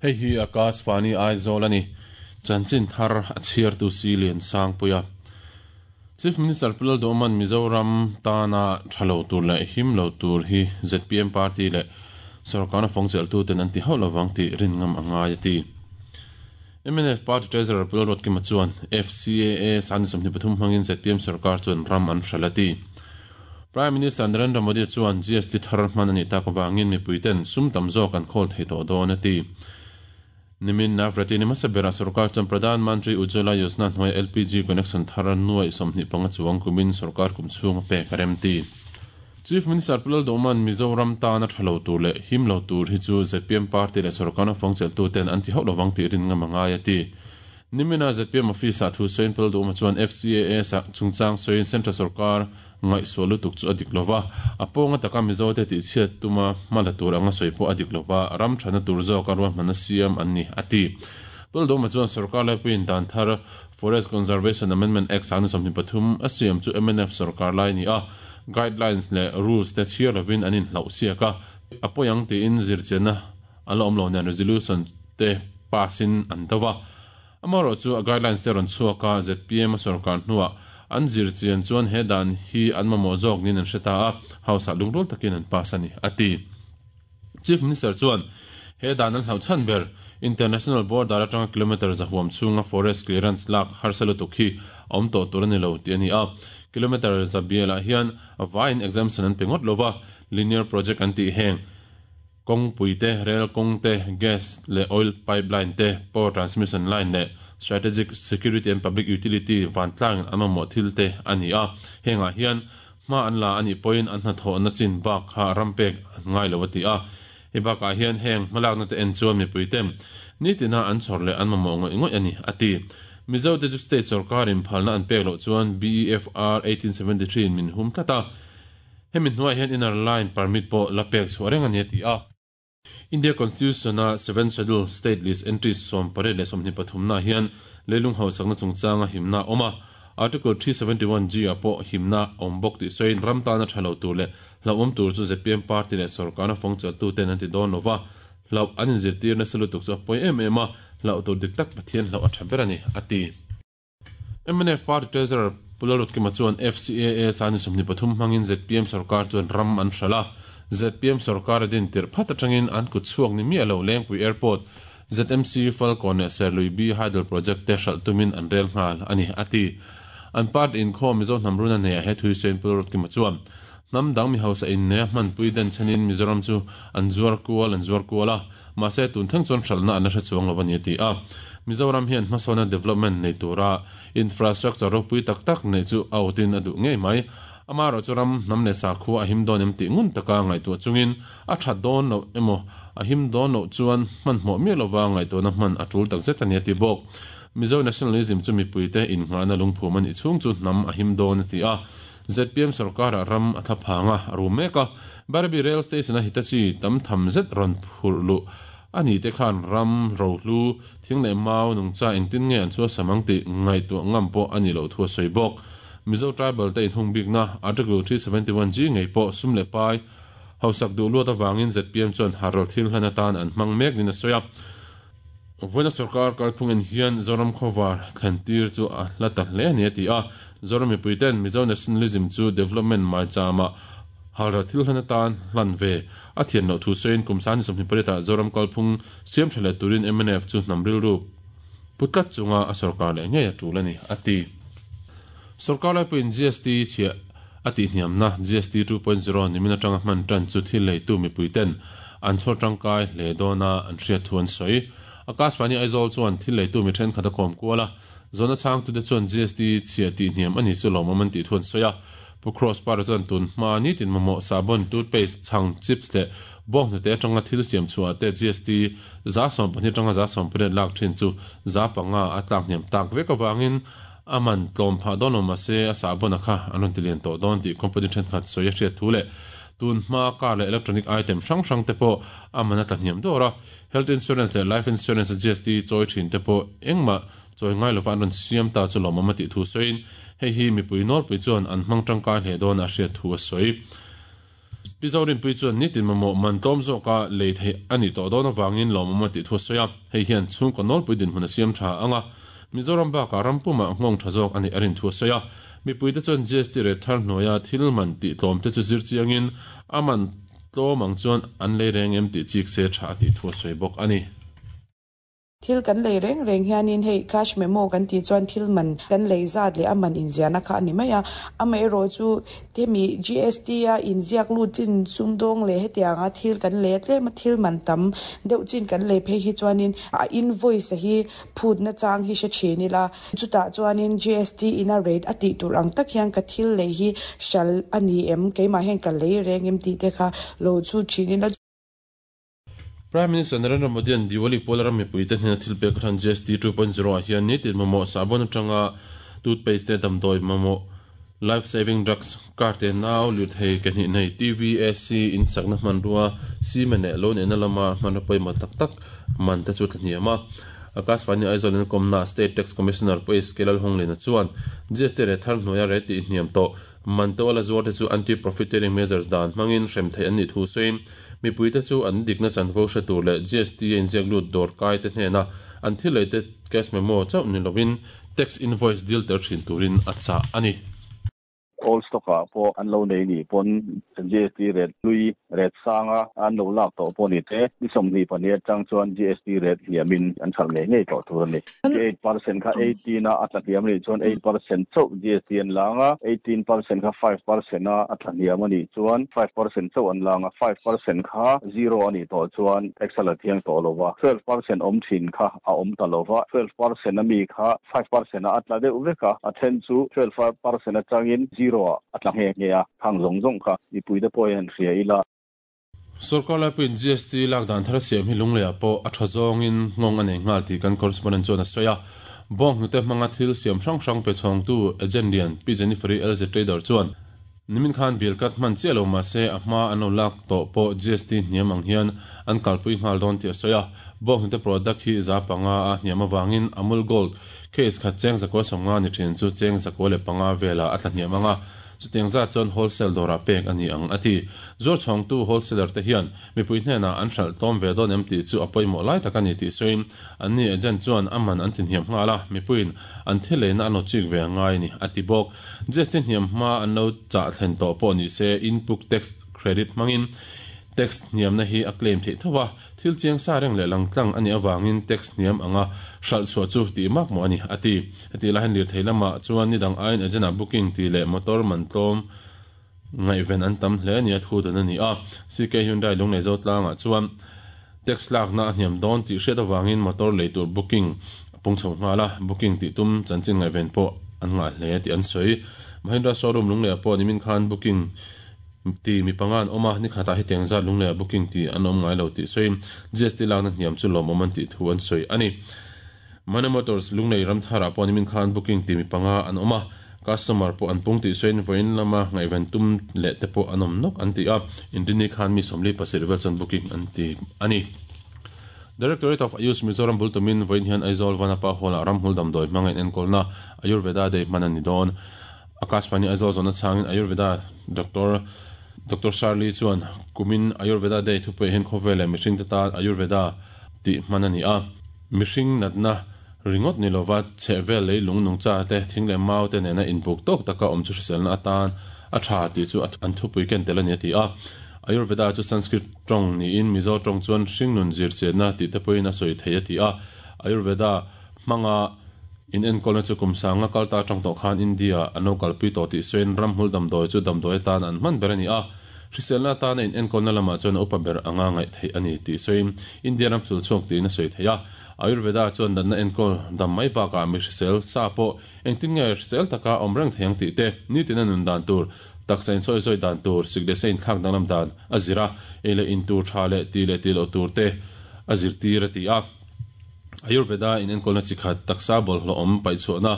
Hei hi Akashvani Aizawl a ni. Chanchin thar a chhiartu si Lian Sangpuia. Chief Minister Pu Lalduhawma'n Mizoram tana tha lo tur leh him lo tur hi zpm party leh sorkarna fawngchelhtuten an ti hauh lovang tih rin ngam a ngai a ti. Mnf party treasurer Pu Lalruatkima chuan FCAA sani 23 hmangin zpm sorkar chuan ram an hralh a ti. Prime Minister Narendra Modi chuan GST thar hman a nih tak avangin mipuiten sum tam zawk an khawl thei tawh dawn a ti. Nimin Navratri ni hmasa berah sorkar chuan Pradhan Mantri Ujjwala Yojana hnuaia LPG connection thar nuaih 25 chuang kumin sorkar kum chhung a pek a rem ti. Chief Minister Pu Lalduhman Mizoram tana tha lo tur leh him lo tur hi chu zpm party leh sorkarna fawngchelhtuten an ti hauh lovang tih rin ngam a ngai a ti. Nimina zpm office-ah thu sawiin Pu Lalduhma chuan FCAA chungchang sawiin Central sorkar Ngaihsual lutuk chu a dik lova, a pawnga taka Mizote tihchhiat tuma hma la tur anga sawi pawh a dik lova, ram thana tur zawka ruahmanna siam an ni, a ti. Puldawma chuan sorkar laipuiin dan thar Forest Conservation Amendment Act 2023 a siam chu mnf sorkar lai ni a, guidelines leh rules te chhiar lovin an inhlauh siak a, a pawi ang tiin zirchianna a la awm lo nen resolution te pass in an do a. Amaherawh chu a guidelines te rawn chhuak a, zpm a sorkar hnuah an zir chian chuan he dan hi an mamawh zawk niin an hre ta a, House ah lungrual takin an pass a ni, a ti. Chief Minister chuan he dan an hlauh chhan ber International border atanga kilometre zahuam chhunga forest clearance lak harsa lutuk hi a awm tawh tur a ni lo tih a ni a. Kilometre za bialah hian vaiin exemption an pe ngawt lova, linear project an tih heng Kawngpui te, rel kawng te, gas leh oil pipeline te, power transmission line leh strategic security and public utility vantlangin an mamawh thil te a ni a. Hengah hian hma an la a nih pawhin an hnathawhna chin bak kha ram pek an ngai lo a ti a. Hei bakah hian heng hmalakna te en chuan mipui te nitina an chhawr leh an mamawh ngawih ngawih a ni, a ti. Mizo te chu state sorkarin phalna an pek loh chuan BEFR 1873 in min hum tlat a. Hemi hnuaiah hian inner line permit pawh la pek chhuah reng a ni a ti a. India Constitution-a Seventh Schedule State List entries 18 leh 23 naah hian leilung hausakna chungchanga himna a awm a, Article 371 G ah pawh himna a awm bawk tih sawiin ram tana tha lo tur leh hlauhawm tur chu zpm party leh sorkarna fawngchelhtuten an ti dawn lo va, hlauh an inzirtir nasa lutuk chu a pawi em em a, hlauh tur dik tak Pathian hlauh a tha ber a ni, a ti. Mnf Party Treasurer Pu Lalrutkima chuan FCAA sani 23 hmangin zpm sorkar chuan ram an hralh a, zpm sorkar a din tirh phat atangin an kut chhuak ni miah lo Lengpui Airport, ZMC Falkawn leh Serlui B Hydel Project te hralh tumin an rel nghal a ni, a ti. An party inkhawm Mizo hnam run a neiah he thui sawiin Pu Lalrutkima chuan hnam dang mi hausa inneia hmanpui den chhenin Mizoram chu an zuar kual an zuar kual a, Mahse, tun thleng chuan hralhna an la hre chuang lo a ni a ti a. Mizoram hian hmasawna development nei tura infrastructure ropui tak tak neih chu a awtin a duh ngei mai. Amaherawhchu ram hnam leh sakhua a him dawn em tih ngun taka ngaihtuah chungin a that dawn loh emaw a him dawn loh chuan hmanhmawh miah lova ngaihtuahna hman a tul takzet a ni a ti bawk. Mizo nationalism chu mipuite innghahna lungphum a nih chhung chu hnam a him dawn a ti a. Zpm sorkarah ram a thla phang a, a rum mek a. Barabi Rail Station-a Hitachi tam tham zet rawn phurh luh a ni te khan ram rohlu, thing leh mau, nungcha engtin nge an chhuasam ang tih ngaihtuah ngam pawh a nih loh thu a sawi bawk. Mizo Tribal te inhung bikna Article 371G ngei pawh sum leh pai hausak duh luat avangin zpm chuan harral thil hlan atan an hmang mek niin a sawi a. Vawiina sorkar kalphung en hian Zoram khawvar thlen tir chu a hla ta hle a ni a ti a. Zoram mipui ten Mizo nationalism chu development maichama halral thil hlan atan hlan ve a thian loh thu sawiin kum sani 28 ah Zoram kalphung siam tha leh turin mnf chu hnam rilru pu tlat chunga a sorkar leh ngei a tul a ni a ti. Sorkar laipuiin GST chhiah a tihhniamna GST 2.0 nimin atanga hman tan chu thil leitu mipui ten an chhawr tangkai hle dawna an hriat thu an sawi. Akashvani Aizawl chuan thil leitu mi thenkhat a kawm kual a, zawhna chhangtute chuan GST chhiah tihhniam a ni chu lawmawm an tih thu an sawi a. Pu Cross Para chuan tun hma nitin mamawh sahbawn, toothpaste, chhang, chips leh bawnghnute atanga thil siam chhuah te GST 12% atanga 18% lak thin chu 5% a tlak hniam tak vek avangin A man tlawm phah dawn lo mahse a sahbawn a kha an rawn ti lian tawh dawn tih company thenkhat sawi a hriat thu leh tun hma car leh electronic item hrang hrang te pawh a man a tla hniam dawr a, health insurance leh life insurance a GST chawi thin te pawh engmah chawi ngai lova an rawn siam ta chu lawmawm a tih thu sawiin hei hi mipui nawlpui chuan an hmang tangkai hle dawn a hriat thu a sawi. Pi Zorinpuii chuan nitin mamawh man tlawm zawka lei theih a nih tawh dawn avangin lawmawm a tih thu a sawi a, hei hian chhungkaw nawlpui dinhmun a siam tha ang a, Mizoram bakah ram pumah nghawng tha zawk a neih a rin thu a sawi a. Mipuite chuan GST rate thar hnuaia thil man tih tlawmte chu zir chiangin a man tlawm ang chuan an lei reng em tih chik se tha a tih thu a sawi bawk a ni. Thil kan lei reng reng hianin hei cash memo kan tih chuan thil man kan lei zat leh a man inziahna kha a ni mai a. Amaherawhchu hemi GST a inziak lut chin sumdawng leh hetianga thil kan lei a tlema thil man tam deuh chin kan lei phei hi chuanin a invoice a hi phutna chang hi hre thin ila. Chutah chuanin GST ina rate a tih tur ang tak hian ka thil lei hi hral a ni em, keimah hian ka lei reng em tih te kha lo chhut thin ila. Prime Minister Narendra Modi-a'n Diwali puala ram mipuite hnena thil pek hran GST 2.0 ah hian nitin mamawh sahbawn atanga toothpaste te damdawi mamawh, life saving drugs, car te nau, lirthei ke hnih nei, TV, AC, in sakna hmanrua, cement leh lo neihna lama hmanraw pawimawh tak tak man te chu tlahniam a. Akashvani Aizawl in kawmna State Tax Commissioner Pu HK Lalhunglina chuan GST reh thar hnuaia reh tih hniam tawh man to a la zuar te chu anti-profiteering measures dan hmangin hrem theih an nih thu sawiin Mipuite chu an dikna chanvo hre tur leh GST a inziak lut dawr kai te hnena an thil lei te cash memo chauh ni lovin tax invoice deal tel thin turin a chah a ni. Old stock ah pawh an lo nei nih pawn GST rate hlui rate sanga an lo lak tawh pawh ni te ni 22 atang chuan GST rate hniamin an hralh ngei ngei tawh tur a ni. 8% kha 18 a a tla hniam a nih chuan 8% chauh GST an lang a, 18% kha 5% a a tla hniam a nih chuan 5% chauh an lang a, 5% kha zero a nih tawh chuan tax a la thiang tawh lo va, 12% awm thin kha a awm ta lo va, 12% a mi kha 5% ah a tla deuh vek a, a then chu 12% atangin zero ah a tla nghe nghe a, khang zawng zawng kha mipuite pawh hian hria ila. Sorkar laipuiin GST lak dan thar a siam hi Lungleiah pawh a tha zawngin nghawng a nei nghal tih kan correspondent chuan a sawi a. Bawng hnute hmanga thil siam hrang hrang pe chhawngtu agent lian Pi Jennifer-i LZ Trader chuan nimin khan bill cut hman chiah lo mahse a hma an lo lak tawh pawh GST hniam ang hian an kalpui nghal dawn tih a sawi a. Bawng hnute product hi 500 a hniam avangin Amul Gold case khat cheng 190 ni thin chu cheng 105 velah a tla hniam ang a. Chutiang zat chuan wholesale dawrah pek a ni ang, a ti. Zuar chhawngtu wholesaler te hian mipui hnenah an hralh tlawm ve dawn em tih chu a pawimawh lai tak a ni tih sawiin anni agent chuan a man an ti hniam nghal a, mipuiin an thil leina an lo chik ve a ngai a ni, a ti bawk. GST hniam hma an lo chah thlen tawh pawh ni se input tax credit hmangin tax hniamna hi a claim theih tho a. Thil chiang sa reng leh langtlang a nih avangin tax hniam anga hralh chhuah chu tih mak mawh a ni, a ti. Heti lai hian lirthei lamah chuan ni dang aiin agent-ah booking tih leh motor man tlawm ngaihven an tam hle nia thu dan a ni a. CK Hyundai Lunglei Zotlangah chuan tax lakna a hniam dawn tih hriat avangin motor lei tur booking a pung chho nghal a, booking tih tum chanchin ngaihven pawh an ngah hle tih an sawi. Mahindra showroom Lungleiah pawh nimin khan booking Ti mi panga an awm a, ni khatah hetiang zat Lungleiah booking ti an awm ngai lo tih sawiin GST lakna hniam chu lawmawm an tih thu an sawi a ni. Mane Motors Lunglei Ramtharah pawh nimin khan booking ti mi panga an awm a, customer pawh an pung tih sawiin vawiin lama ngaihven tum leh te pawh an awm nawk an ti a, Inrini khan mi 47 vel chuan booking an ti a ni. Directorate of Ayush Mizoram bul tumin vawiin hian Aizawl Vanapa Hall-ah ramhmul damdawi hmanga inenkawlna Ayurveda Day hman a ni dawn. Akashvani Aizawl zawhna chhangin Ayurveda Doctor Doctor Shirley chuan kumin Ayurveda Day thupui hian khawvel leh mihringte tan Ayurveda tih hman a ni a. Mihring natna ringawt ni lova chhehvel lei lung nungcha te, thing leh mau te nena inbuk tawk taka awm chu hriselna atan a tha tih chu an thupui ken tel a ni a ti a. Ayurveda chu Sanskrit tawng niin Mizo tawng chuan hringnun zirchianna tih te pawhin a sawi thei a ti a. Ayurveda hmanga In enkawlna chu kum sanga kal ta atang tawh khan India an lo kalpui tawh tih sawiin ramhmul damdawi chu damdawi atan an hman ber a ni a, hriselna atana in enkawlna lamah chuan a upa ber anga ngaih theih a ni tih sawiin India ram sul chhuak tiin a sawi thei a. Ayurveda chuan natna enkawl dam mai bakah mi hrisel sa pawh engtin nge hrisel taka awm reng thei ang tih te, nitina nun dan tur, taksa insawi zawi dan tur, sik leh sa inthlak danglam dan a zir a, ei leh in tur tha leh tih leh tih loh tur te a zirtir a ti a. Ayurveda in enkawlna chi khat taksa bawlhhlawh awm paihchhuahna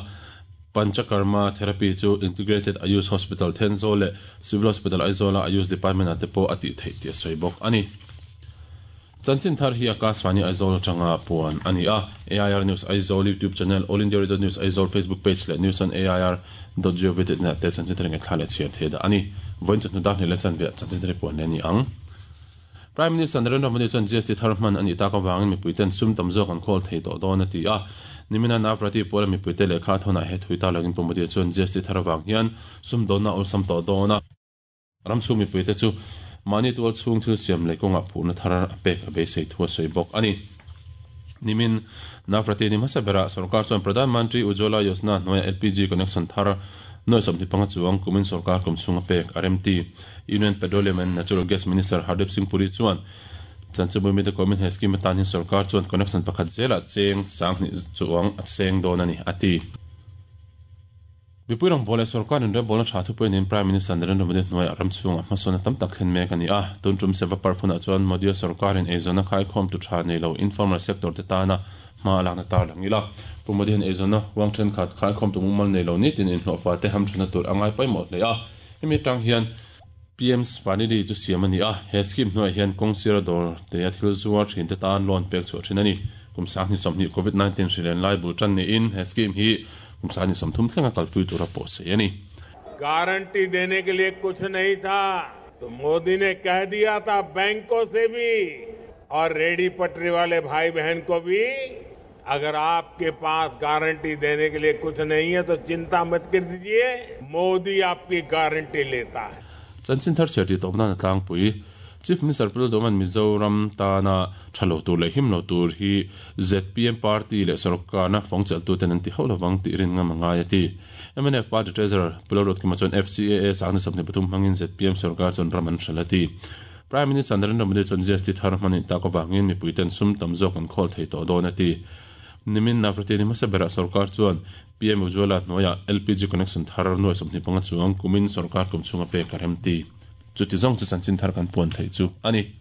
Panchakarma therapy chu Integrated Ayush Hospital Thenzawl leh Civil Hospital Aizawl-a Ayush Department-ah te pawh a tih theih tih a sawi bawk a ni. Chanchin thar hi Akashvani Aizawl atanga puan a ni a. AIR News Aizawl YouTube channel, All India Radio News Aizawl Facebook page leh News on AIR dot gov dot in ah te chanchin thar ngaihthla leh chhiar thei dah a ni. Vawiin chawhnu dar hnih leh chanve ah chanchin thar hi puan leh a ni ang. Prime Minister Narendra Modi chuan GST thar hman a nih tak avangin mipuiten sum tam zawk an khawl thei tawh dawn a ti a. Nimina Navrati puala mipuite lehkha a thawnah he thui ta langin Pu Modi chuan GST thar avang hian sum dawnna a awlsam tawh dawn a. Ram chhung mipuite chu mahni tual chhung thil siam leh kawngah phurna thar a pek a beisei thu a sawi bawk a ni. Nimin Navrati ni hmasa berah sorkar chuan Pradhan Mantri Ujjwala Yojana hnuaia LPG connection thar nuai 25 chuang kumin sorkar kum chhunga pek a remti. Union Petroleum and Natural Gas Minister Hardeep Singh Puri chuan Chanchinbui mite kawmin he scheme atan hian sorkar chuan connection pakhat zelah cheng 2000 chuang a seng dawn a ni, a ti. Mipui rawngbâwl leh sorkar inrembawl-na tha thupui niin Prime Minister Narendra Modi hnuaiah ram chhungah hmasawnna tam tak thlen mek a ni a. Tun tum Seva Parv hunah chuan Modi-a sorkarin eizawnna khaikhawmtu tha nei lo informal sector te tana hma a lakna tar lang ila. Pu Modi hian eizawnna huang thenkhat khaikhawmtu mumal nei lo nitin inhlawhfa te hamthatna tur a ngai pawimawh hle a. Hemi atang hian PM Svanidhi chu siam a ni a, he scheme hnuaiah hian kawng sira dawr te a thil zuar thin te tan loan pek chhuah thin a ni. Kum 2020 Covid 19 hri len lai bul tan niin he scheme hi kum 2030 thlenga kalpui tura pawh sei a ni. Guarantee देने के लिए कुछ नहीं था तो मोदी ने कह दिया था बैंकों से भी और रेडी पटरी वाले भाई बहन को भी, अगर आपके पास गारंटी देने के लिए कुछ नहीं है तो चिंता मत कर दीजिए, मोदी आपकी गारंटी लेता है. Chanchin thar chhiar tih tawp nan a tlangpui. Chief Minister Pu Lalduhman Mizoram tana tha lo tur leh him lo tur hi zpm party leh sorkarna fawng chelhtuten an ti hauh lovang tih rin ngam a ngai a ti. Mnf party treasurer Pu Lalruatkima chuan FCAA sangna 23 hmangin zpm sorkar chuan ram an hralh a ti. Prime Minister Narendra Modi chuan GST thar hman in tak avangin mipuiten sum tam zawk an khawl thei tawh dawn a ti. Nimin Navrati ni hmasa berah sorkar chuan PM Ujjwala hnuaiah LPG connection thar nuai 25 chuang kumin sorkar kum chhunga pek a rem ti. Chuti zawng chu chanchin thar kan puan theih chu a ni.